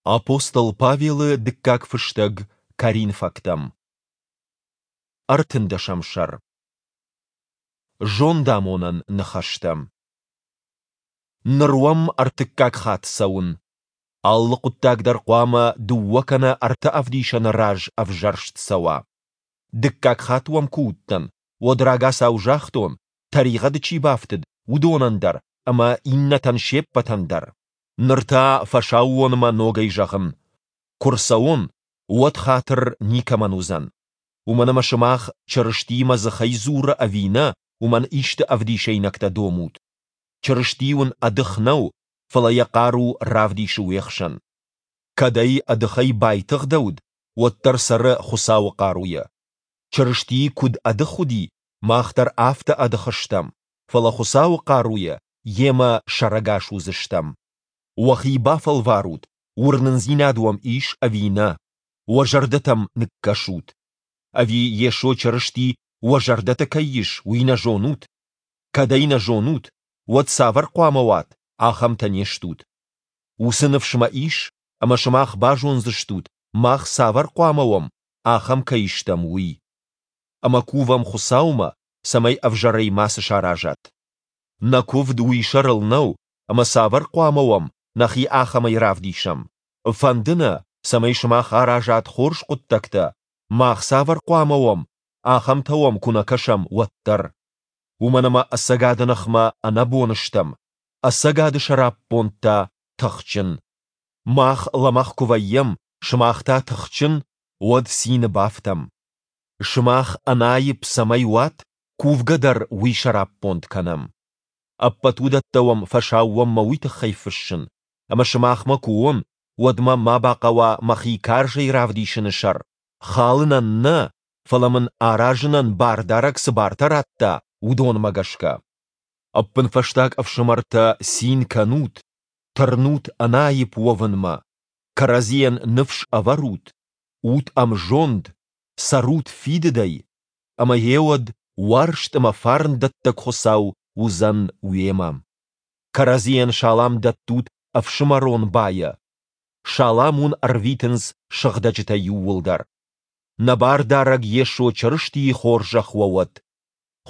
Апостол Павелы дыккаг фыстӕг Коринфӕгтӕм. Ӕртындӕсӕм сӕр. Зондамонӕн ныхӕстӕ. Ныр уӕм ӕртыккаг хатт цӕуын. Алы хъуыддаг дӕр хъуамӕ дыууӕ кӕнӕ ӕртӕ ӕвдисӕны раз ӕвзӕрст цӕуа. Дыккаг хатт уӕм куы уыдтӕн, уӕд рагацау загътон, тӕригъӕды чи бафтыд, уыдонӕн дӕр ӕмӕ иннӕтӕн се ппӕтӕн дӕр. Ныр та фӕсаууонмӕ ногӕй зӕгъын: куы рцӕуон, уӕд хатыр никӕмӕн уыдзӕн. Уымӕн ӕмӕ сымах, Чырысти мӕ дзыхӕй дзуры ӕви нӕ, уымӕн исты ӕвдисӕйнӕгтӕ домут. Чырысти уын ӕдых нӕу, фӕлӕ йӕ хъару равдисы уе хсӕн. Кӕд ӕй ӕдыхӕй байтыгъдӕуыд, уӕддӕр цӕры Хуыцауы хъаруйӕ. Чырысти куыд ӕдых уыди, мах дӕр афтӕ ӕдых стӕм, фӕлӕ Хуыцауы хъаруйӕ йемӕ сӕрӕгас уыдзыстӕм. Уӕхи бафӕлварут, уырнындзинад уӕм ис ӕви нӕ, уӕ зӕрдӕтӕм ныккӕсут. Ӕви Йесо Чырысти уӕ зӕрдӕты кӕй ис, уый нӕ зонут? Кӕд ӕй нӕ зонут, уӕд цавӕр хъуамӕ уат, ахӕмтӕ не стут. Уыцы ныфс мӕ ис, ӕмӕ сымах базондзыстут, мах цавӕр хъуамӕ уӕм, ахӕм кӕй стӕм, уый. Ӕмӕ кувӕм Хуыцаумӕ, цӕмӕй ӕвзӕрӕй мацы саразат. Нӕ куывд уый сӕрыл нӕу, ӕмӕ цавӕр хъуамӕ уӕм, нӕхи ахӕмӕй равдисӕм. Фӕнды нӕ, цӕмӕй сымах аразат хорз хъуыддӕгтӕ, мах цавӕр хъуамӕ уӕм, ахӕмтӕ уӕм куы нӕ кӕсӕм, уӕддӕр. Уымӕн ӕмӕ ӕцӕгады ныхмӕ ӕнӕбон стӕм, ӕцӕгады сӕраппонд та тыхджын. Мах лӕмӕгъ куы вӕййӕм, сымах та тыхджын, уӕд цины бафтӕм. Сымах ӕнаипп цӕмӕй уат, кувгӕ дӕр уый сӕраппонд кӕнӕм. Ӕппӕт уыдӕттӕ уӕм фӕсаууонмӕ уый тыххӕй фыссын, ӕмӕ сымахмӕ куы уон, уӕд мӕ ма бахъӕуа мӕхи карзӕй равдисыны сӕр, халынӕн нӕ, фӕлӕ мын аразынӕн Бардарӕг цы бартӕ радта, уыдонмӕ гӕсгӕ. Ӕппынфӕстаг, ӕфсымӕртӕ, цин кӕнут, тырнут ӕнаипп уӕвынмӕ, кӕрӕдзийӕн ныфс ӕвӕрут, ут ӕмзонд, цӕрут фидыдӕй, ӕмӕ гъеуӕд уарзт ӕмӕ фарндӕттӕг Хуыцау уыдзӕн уемӕ. Кӕрӕдзийӕн салам дӕттут ӕфсымӕрон байӕ. Салам уын ӕрвитынц сыгъдӕджытӕ иууылдӕр. Нӕ Бардарӕг Йесо Чырыстийы хорзӕх уӕ уӕд.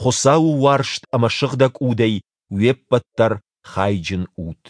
Хуыцауы уарзт ӕмӕ Сыгъдӕг Удӕй уе ппӕт дӕр хайджын ут.